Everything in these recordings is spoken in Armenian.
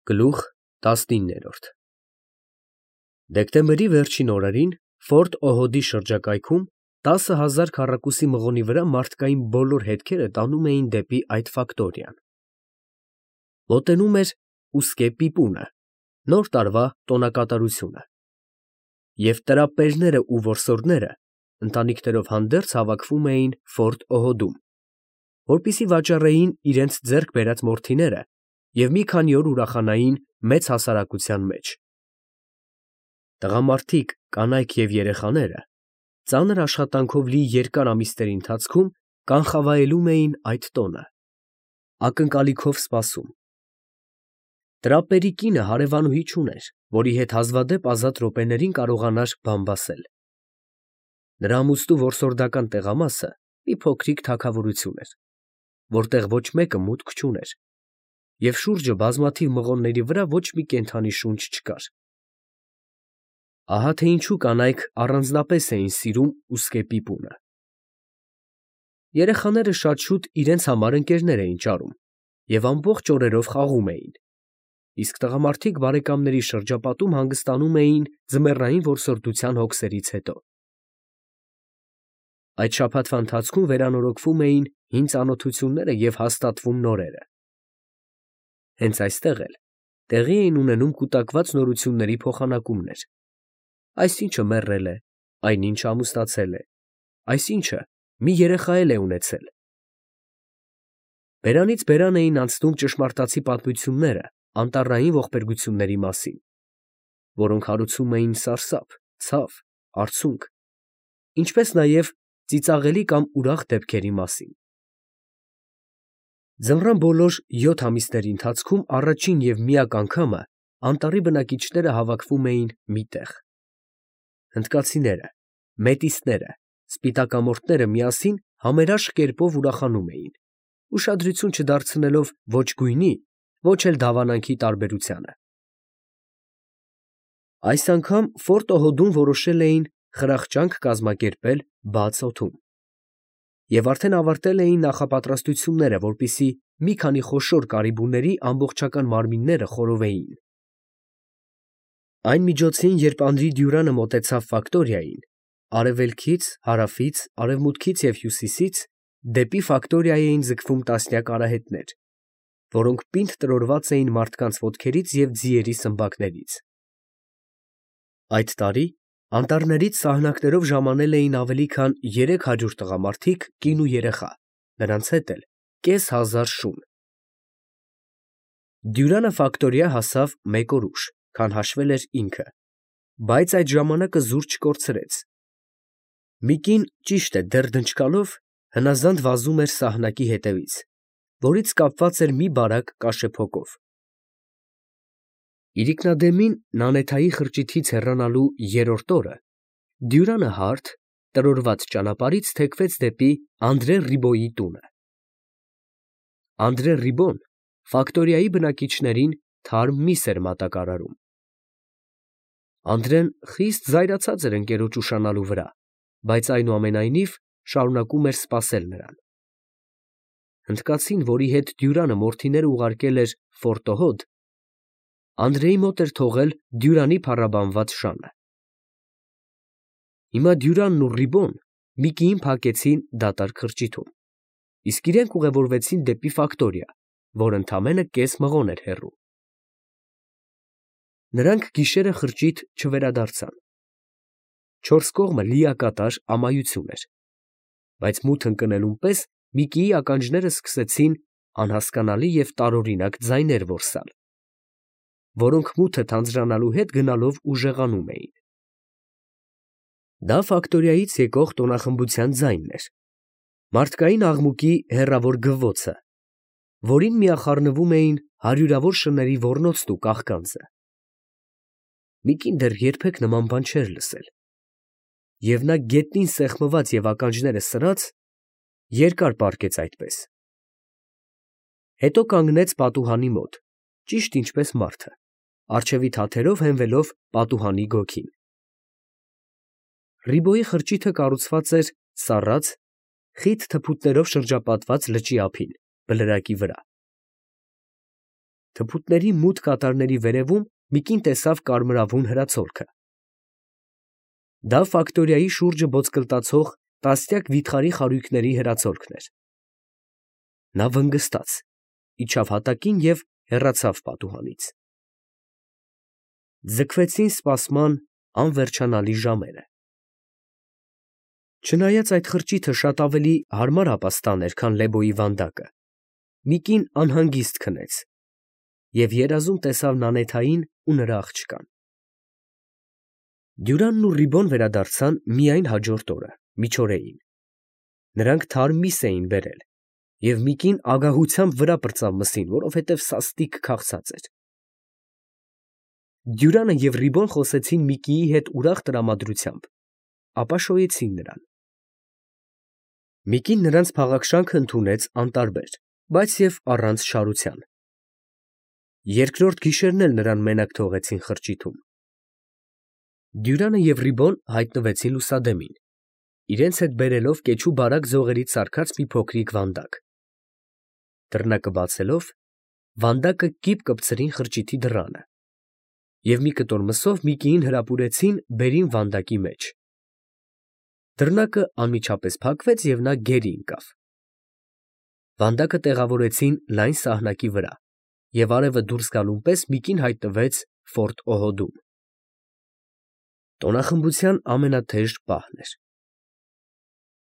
Գլուխ 19 Դեկտեմբերի վերջին օրերին Ֆորտ Օհոդի շրջակայքում 10,000 քառակուսի մղոնի վրա մարդկային բոլոր հետքերը տանում էին դեպի այդ ֆակտորիան։ Մոտենում էր ուսկե պիպունը, նոր տարվա տոնակատարությունը, և տրապպերները ու որսորդները ընտանիքներով հանդերձ հավաքվում էին Ֆորտ Օհոդում, որպեսզի վաճառեին իրենց ձեռք բերած մորթիները և մի քանի օր ուրախանային մեծ հասարակության մեջ։ Տղամարդիկ, կանայք և երեխաները ծանր աշխատանքով լի երկար ամիսների ընթացքում կանխավայելում էին այդ տոնը, ակնկալիքով սպասում։ Տրապպերի կինը հարևանուհի չուներ, որի հետ հազվադեպ ազատ րոպեներին կարողանար բան բասել։ Նրա ամուսնու որսորդական տեղամասը մի փոքրիկ թագավորություն էր, որտեղ ոչ մեկը մուտք չուներ, և շուրջը բազմաթիվ մղոնների վրա ոչ մի կենդանի շունչ չկար։ Ահա թե ինչու կանայք առանձնապես էին սիրում ուսկե պիպունը։ Երեխաները շատ շուտ իրենց համար ընկերներ էին ճարում և ամբողջ օրերով խաղում էին, իսկ տղամարդիկ բարեկամների շրջապատում հանգստանում էին ձմեռային որսորդության հոգսերից հետո։ Այդ շաբաթվա ընթացքում վերանորոգվում էին հին ծանոթությունները և հաստատվում նորերը։ Հենց այստեղ էլ տեղի էին ունենում կուտակված նորությունների փոխանակումներ. այսինչը մեռել է, այնինչը ամուսնացել է, այսինչը մի երեխա էլ է ունեցել։ Բերանից բերան էին անցնում ճշմարտացի պատմությունները անտառային ողբերգությունների մասին, որոնք հարուցում էին սարսափ, ցավ, արցունք, ինչպես նաև ծիծաղելի կամ ուրախ դեպքերի մասին։ Ձմռան բոլոր 7 ամիսների ընթացքում առաջին և միակ անգամը անտառի բնակիչները հավաքվում էին մի տեղ։ Հնդկացիները, մետիսները, սպիտակամորթները միասին համերաշխ կերպով ուրախանում էին, ուշադրություն չդարձնելով ոչ գույնի, ոչ էլ դավանանքի տարբերությանը։ Այս անգամ Ֆորտ Օհոդում որոշել էին խրախճանք կազմակերպել բաց օդում, և արդեն ավարտել էին նախապատրաստությունները, որպեսզի մի քանի խոշոր կարիբուների ամբողջական մարմինները խորովեին։ Այն միջոցին, երբ Անդրի Դյուրանը մոտեցավ ֆակտորիային, արևելքից, հարավից, արևմուտքից և հյուսիսից դեպի ֆակտորիա էին ձգվում տասնյակ արահետներ, որոնք պինդ տրորված էին մարդկանց ոտքերից և ձիերի սմբակներից։ Այդ տարի անտառներից սահնակներով ժամանել էին ավելի քան 300 տղամարդիկ, կին ու երեխա, նրանց հետ էլ կես հազար շուն։ Դյուրանը ֆակտորիա հասավ մեկ օր ուշ, քան հաշվել էր ինքը, բայց այդ ժամանակը զուր չկորցրեց։ Մի կին, ճիշտ է, դեռ դնչկալով, հնազանդ վազում էր սահնակի հետևից, որից կապված էր մի բարակ կաշեփոկով։ Իրիկնադեմին Նանեթայի խրճիթից հեռանալու երրորդ օրը Դյուրանը հարթ, տրորված ճանապարհից թեքվեց դեպի Անդրե Ռիբոյի տունը։ Անդրե Ռիբոն ֆակտորիայի բնակիչներին թարմ միս էր մատակարարում։ Անդրեն խիստ զայրացած էր ընկերոջ ուշանալու վրա, բայց այնուամենայնիվ շարունակում էր սպասել նրան։ Հնդկացին, որի հետ Դյուրանը մորթիները ուղարկել էր Ֆորտ Օհոդ, Անդրեի մոտ էր թողել Դյուրանի փառաբանված շանը։ Հիմա Դյուրանն ու Ռիբոն մի կիին փակեցին դատարկ խրճիթում, իսկ իրենք ուղևորվեցին դեպի ֆակտորիա, որ ընդամենը կես մղոն էր հեռու։ Նրանք գիշերը խրճիթ չվերադարձան։ Չորս կողմը լիակատար ամայություն էր, բայց մութ ընկնելուն պես մի կիի ականջները սկսեցին անհասկանալի և տարօրինակ ձայներ որսալ, որոնք մութը թանձրանալու հետ գնալով ուժեղանում էին։ Դա ֆակտորիայից եկող տոնախմբության ձայնն էր, մարդկային աղմուկի հեռավոր գվվոցը, որին միախառնվում էին հարյուրավոր շների ոռնոցն ու կաղկանձը։ Մի կին դեռ երբեք նման բան չէր լսել, և նա գետնին սեղմված և ականջները սրած, երկար պառկեց այդպես։ Հետո կանգնեց պատուհանի մոտ, ճիշտ ինչպես մարդը, առջևի թաթերով հենվելով պատուհանի գոգին։ Ռիբոյի խրճիթը կառուցված էր սառած, խիտ թփուտներով շրջապատված լճի ափին, բլրակի վրա։ թփուտների մութ կատարների վերևում մի կին տեսավ կարմրավուն հրացոլքը։ Դա ֆակտորիայի շուրջը ոսկլտացող տասնյակ վիթխարի խարույկների հրացոլքն էր։ Նա վնգստաց, իջավ հատակին և հեռացավ պատուհանից։ Ձգվեցին սպասման անվերջանալի ժամերը։ Չնայած այդ խրճիթը շատ ավելի հարմար ապաստան էր, քան Լեբոյի վանդակը, մի կին անհանգիստ քնեց և երազում տեսավ Նանեթային ու նրա աղջկան։ Դյուրանն ու Ռիբոն վերադարձան միայն հաջորդ օրը, միջօրեին։ Նրանք թարմ միս էին բերել, և մի կին ագահությամբ վրա պրծավ մսին, որովհետև սաստիկ քաղցած էր։ Դյուրանը և Ռիբոն խոսեցին Միկիի հետ ուրախ տրամադրությամբ, ապա շոյեցին նրան։ Միկին նրանց փաղաքշանքը ընդունեց անտարբեր, բայց և առանց չարության։ Երկրորդ գիշերն էլ նրան մենակ թողեցին խրճիթում։ Դյուրանը և Ռիբոն հայտնվեցին լուսադեմին, իրենց հետ բերելով կեչու բարակ ձողերից սարքած մի փոքրիկ վանդակ։ Դռնակը բացելով, վանդակը կիպ կպցրին խրճիթի դռանը և մի կտոր մսով Միկիին հրապուրեցին բերին վանդակի մեջ։ Դռնակը անմիջապես փակվեց և նա գերի ընկավ։ Վանդակը տեղավորեցին լայն սահնակի վրա, և արևը դուրս գալուն պես Միկին հայտնվեց Ֆորտ Օհոդում։ Տոնախմբության ամենաթեժ պահն էր։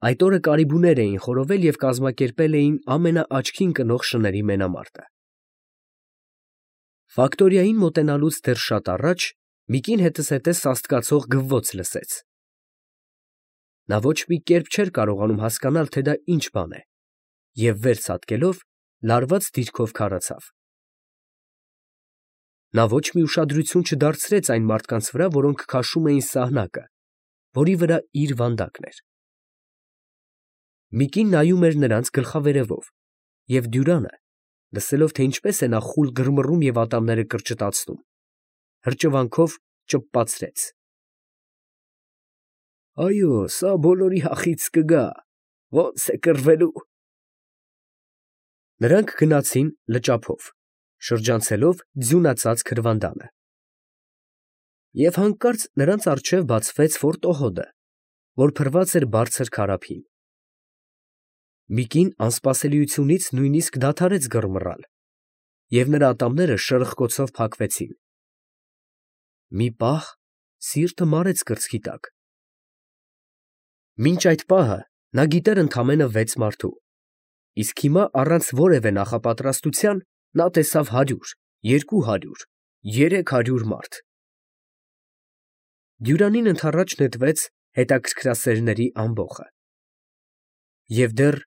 Այդ օրը կարիբուներ էին խորովել և կազմակերպել էին ամենաաչքին կնող շների մենամարտը։ Ֆակտորիային մոտենալուց դեռ շատ առաջ Միկին հետզհետե սաստկացող գվվոց լսեց։ Նա ոչ մի կերպ չէր կարողանում հասկանալ, թե դա ինչ բան է, և վեր ցատկելով, լարված դիրքով քարացավ։ Նա ոչ մի ուշադրություն չդարձրեց այն մարդկանց վրա, որոնք քաշում էին սահնակը, որի վրա իր վանդակն էր։ Միկին նայում էր նրանց գլխավերևով, և Դյուրանը, լսելով, թե ինչպես է նա խուլ գրմռում և ատամները կրճտացնում, հրճվանքով ճպպացրեց. «Այո, սա բոլորի հախից կգա, ո՞նց է կռվելու»։ Նրանք գնացին լճափով, շրջանցելով ձյունածածկ քրվանդանը։ Եվ հանկարծ նրանց առջև բացվեց Ֆորտ Օհոդը, որ փռված էր բարձր քարափին։ Միկին անսպասելիությունից նույնիսկ դադարեց գրմռալ, և նրա ատամները շրխկոցով փակվեցին։ Մի պահ սիրտը մարեց կրծքի տակ։ Մինչ այդ պահը նա գիտեր ընդամենը 6 մարդու, իսկ հիմա առանց որևէ նախապատրաստության նա տեսավ 100, 200, 300 մարդ։ Դյուրանին ընդառաջ նետվեց հետաքրքրասերների ամբոխը։ Եվ դեռ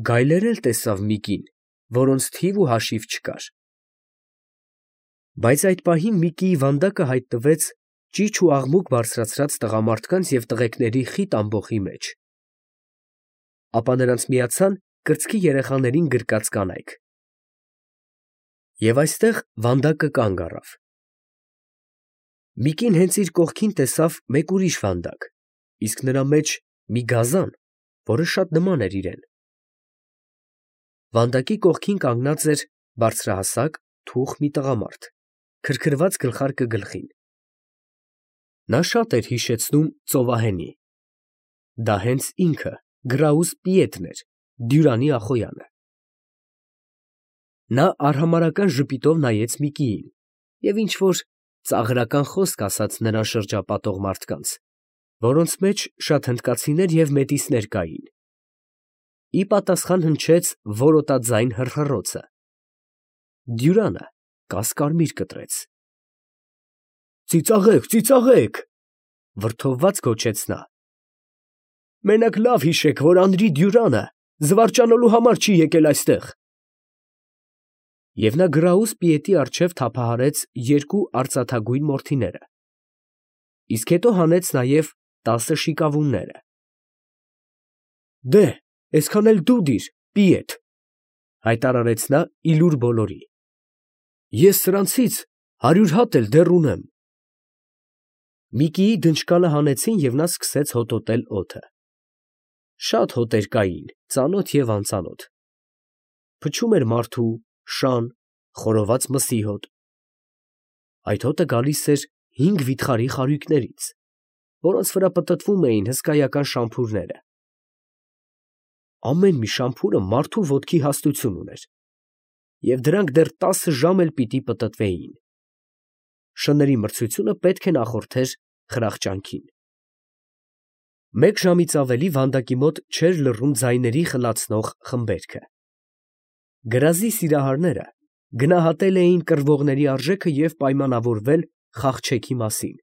գայլեր էլ տեսավ Միկին, որոնց թիվ ու հաշիվ չկար։ Բայց այդ պահին Միկիի վանդակը հայտնվեց ճիչ ու աղմուկ բարձրացրած տղամարդկանց և տղեկների խիտ ամբոխի մեջ։ Ապա նրանց միացան կրծքի երեխաներին գրկած կանայք։ Եվ այստեղ վանդակը կանգ առավ։ Միկին հենց իր կողքին տեսավ մեկ ուրիշ վանդակ, իսկ նրա մեջ մի գազան, որը շատ նման էր իրան։ Վանդակի կողքին կանգնած էր բարձրահասակ, թուխ մի տղամարդ, քրքրված գլխարկը գլխին։ Նա շատ էր հիշեցնում ծովահենի։ Դա հենց ինքը Գրաուս Պիետրն էր, Դյուրանի ախոյանը։ Նա արհամարհական ժպիտով նայեց Միկիին և ինչ֊որ ծաղրական խոսք ասաց նրան շրջապատող մարդկանց, որոնց մեջ շատ հնդկացիներ և մետիսներ կային։ Ի պատասխան հնչեց որոտաձայն հռհռոցը։ Դյուրանը կասկարմիր կտրեց։ «Ծիծաղեք, ծիծաղեք», վրդովված գոչեց նա։ «Մենակ լավ հիշեք, որ Անրի Դյուրանը զվարճանալու համար չի եկել այստեղ»։ Եվ նա Գրաուս Պիետի առջև թափահարեց 2 արծաթագույն մորթիները, իսկ հետո հանեց նաև 10 շիկավունները։ «Դե, այսքան էլ դու դիր, Պիետ», հայտարարեց նա ի լուր բոլորի։ «Ես սրանցից 100 հատ էլ դեռ ունեմ»։ Միկիի դնչկանը հանեցին, և նա սկսեց հոտոտել օդը։ Շատ հոտեր կային, ծանոթ և անծանոթ։ Փչում էր մարդու, շան, խորոված մսի հոտ։ Այդ հոտը գալիս էր 5 վիթխարի խարույկներից, որոնց վրա պտտվում էին հսկայական շամփուրները։ Ամեն մի շամփուրը մարդու ոտքի հաստություն ուներ, և դրանք դեռ 10 ժամ էլ պիտի պտտվեին։ Շների մրցությունը պետք է նախորդեր խրախճանքին։ 1 ժամից ավելի վանդակի մոտ չէր լռում ձայների խլացնող խմբերքը։ Գրազի սիրահարները գնահատել էին կռվողների արժեքը և պայմանավորվել խաղչեքի մասին,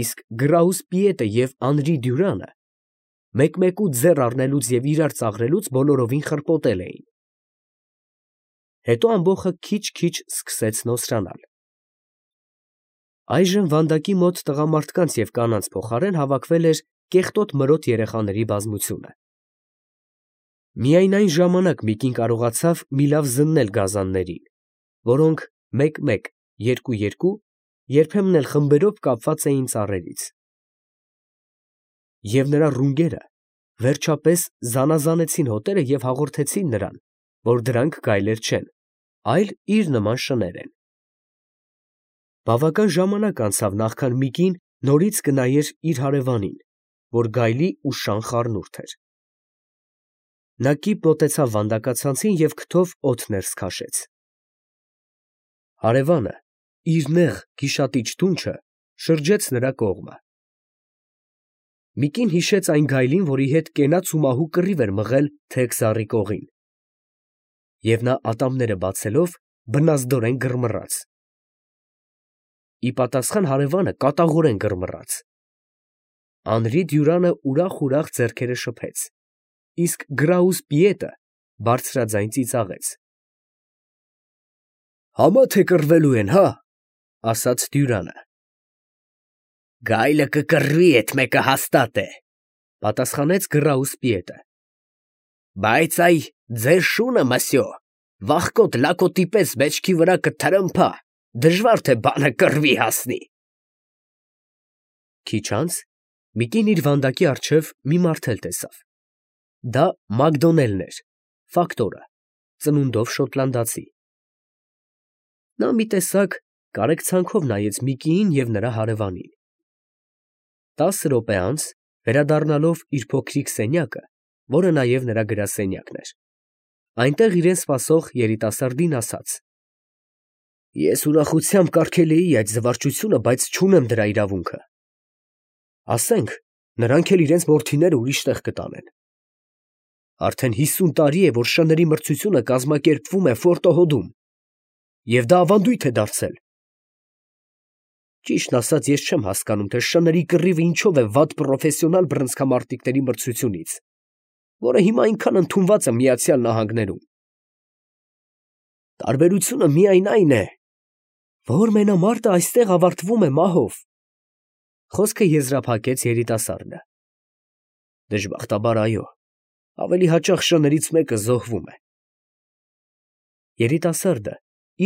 իսկ Գրաուսպիետը և Անրի Դյուրանը մեկ֊մեկու ձեռ առնելուց և իրար ծաղրելուց բոլորովին խրպոտել էին։ Հետո ամբոխը քիչ֊քիչ սկսեց նոսրանալ։ Այժմ վանդակի մոտ տղամարդկանց և կանանց փոխարեն հավաքվել էր կեղտոտ մրոտ երեխաների բազմությունը։ Միայն այն ժամանակ Միկին կարողացավ մի լավ զննել գազաններին, որոնք մեկ֊մեկ, երկու֊երկու, երբեմն էլ խմբերով կապված էին ծառերից։ Եվ նրա ռունգերը վերջապես զանազանեցին հոտերը և հաղորդեցին նրան, որ դրանք գայլեր չեն, այլ իր նման շներ են։ Բավական ժամանակ անցավ, նախքան Միկին նորից կնայեր իր հարևանին, որ գայլի ու շան խառնուրդ էր։ Նա կիպ մոտեցավ վանդակացանցին և քթով օդ ներս քաշեց։ Հարևանը իր նեղ գիշատիչ դունչը շրջեց նրա կողմը։ Միկին հիշեց այն գայլին, որի հետ կենաց ու մահու կռիվ էր մղել Թեքզառի կողին, և նա ատամները բացելով բնազդորեն գրմռաց։ Ի պատասխան հարևանը կատաղորեն գրմռաց։ Անրի Դյուրանը ուրախ ձեռքերը շփեց, իսկ Գրաուսպիետը բարձրաձայն ծիծաղեց։ «Համա թե կռվելու են, հա» ասաց Դյուրանը։ «Գայլը կկռվի, էդ մեկը հաստատ է», պատասխանեց Գրաուսպիետը։ «Բայց այ ձեր շունը, մսյո, վախկոտ լակոտի պես մեջքի վրա կթրմփա, դժվար թե բանը կռվի հասնի»։ Քիչ անց Միկին իր վանդակի առջև մի մարդ էլ տեսավ։ Դա Մակդոնելն էր, ֆակտորը, ծնունդով շոտլանդացի։ Նա մի տեսակ կարեկցանքով նայեց Միկիին և նրա հարևանին։ 10 րոպե անց, վերադառնալով իր փոքրիկ սենյակը, որը նաև նրա գրասենյակն էր, այնտեղ իրեն սպասող երիտասարդին ասաց. «Ես ուրախությամբ կարգել էի այդ զվարճությունը, բայց չունեմ դրա իրավունքը։ Ասենք, նրանք էլ իրենց որդիները ուրիշ տեղ կտանեն։ Արդեն 50 տարի է, որ շների մրցությունը կազմակերպվում է Ֆորտոհոդում, և դա ավանդույթ է դարձել։ Ճիշտն ասած, ես չեմ հասկանում, թե շների կռիվը ինչով է վատ պրոֆեսիոնալ բռնցքամարտիկների մրցությունից, որը հիմա այնքան ընդունված է Միացյալ Նահանգներում։ Տարբերությունը միայն այն է, որ մենամարտը այստեղ ավարտվում է մահով»։ Խոսքը եզրափակեց երիտասարդը։ Դժբախտաբար, այո, ավելի հաճախ շներից մեկը զոհվում է։ Երիտասարդը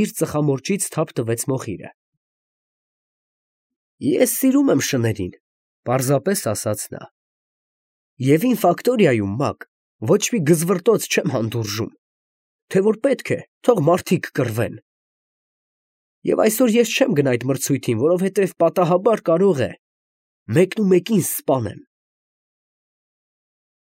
իր ծխամորճից թափ տվեց մոխիրը։ Ես սիրում եմ շներին, պարզապես ասաց նա։ Եվ իմ ֆակտորիայում, Մակ, ոչ մի գզվռտոց չեմ հանդուրժում, թե որ պետք է, թող մարդիկ կռվեն։ Եվ այսօր ես չեմ գնա այդ մրցույթին, որովհետև պատահաբար կարող է մեկնումեկին սպանեն։